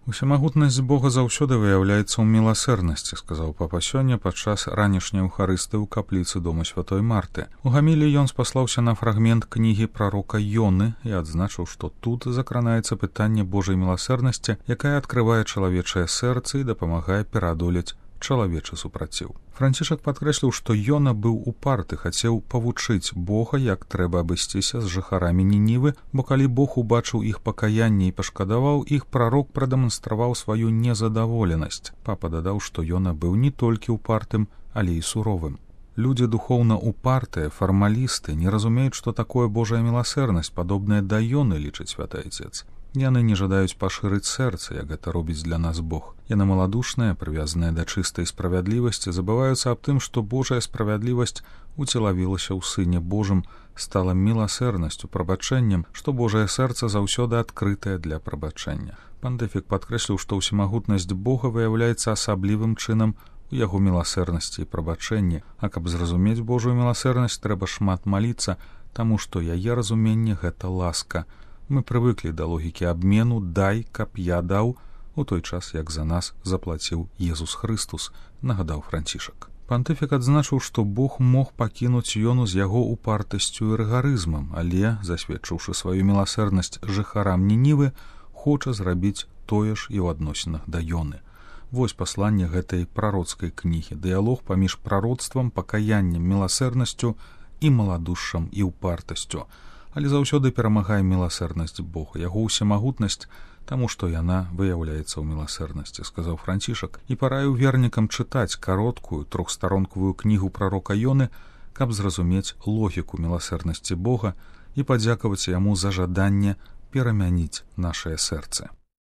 Усемагутнасць Бога заўсёды выяўляецца ў міласэрнасці, сказаў папа сёння падчас ранішняй эўхарыстыі ў капліцы дома святой Марты. У гаміліі ён спаслаўся на фрагмент кнігі прарока Ёны і адзначыў, што тут закранаецца пытанне Божай міласэрнасці, якая адкрывае чалавечае сэрца і дапамагае пераадолець чалавечы супраціў. Францішак падкрэсліў, што Ёна быў упарты, хацеў павучыць Бога, як трэба абысціся з жыхарамі Нінівы, бо калі Бог убачыў іх пакаянне і пашкадаваў іх, прарок прадэманстраваў сваю незадаволенасць. Папа дадаў, што Ёна быў не толькі упартым, але і суровым. Людзі духоўна упартыя, фармалісты, не разумеюць, што такое Божая міласэрнасць, падобная да Ёны, лічыць святы Айцец. Яны не жадаюць пашырыць сэрца, як гэта робіць для нас Бог. Яны маладушныя, прывязаныя да чыстай справядлівасці, забываюцца аб тым, што Божая справядлівасць уцелавілася ў Сыне Божым, стала міласэрнасцю, прабачэннем, што Божае сэрца заўсёды адкрытае для прабачэння. Пантэфік падкрэсліў, што ўсемагутнасць Бога выяўляецца асаблівым чынам у яго міласэрнасці і прабачэнні, а каб зразумець Божую міласэрнасць, трэба шмат маліцца, таму што яе разуменне — гэта ласка. Мы прывыклі да логікі абмену «дай, каб я даў», у той час, як за нас заплаціў Езус Хрыстус, нагадаў Францішак. Пантыфік адзначыў, што Бог мог пакінуць Ёну з яго упартасцю і рыгарызмам, але, засведчыўшы сваю міласэрнасць жыхарам Нінівы, хоча зрабіць тое ж і ў адносінах да Ёны. Вось пасланне гэтай прароцкай кнігі, дыялог паміж прароцтвам, пакаяннем, міласэрнасцю і маладушшам і упартасцю. Але заўсёды перамагае міласэрнасць Бога, яго ўсемагутнасць, таму што яна выяўляецца ў міласэрнасці, сказаў Францішак, і параіў вернікам чытаць кароткую трохстаронкавую кнігу прарока Ёны, каб зразумець логіку міласэрнасці Бога і падзякаваць яму за жаданне перамяніць нашае сэрцы.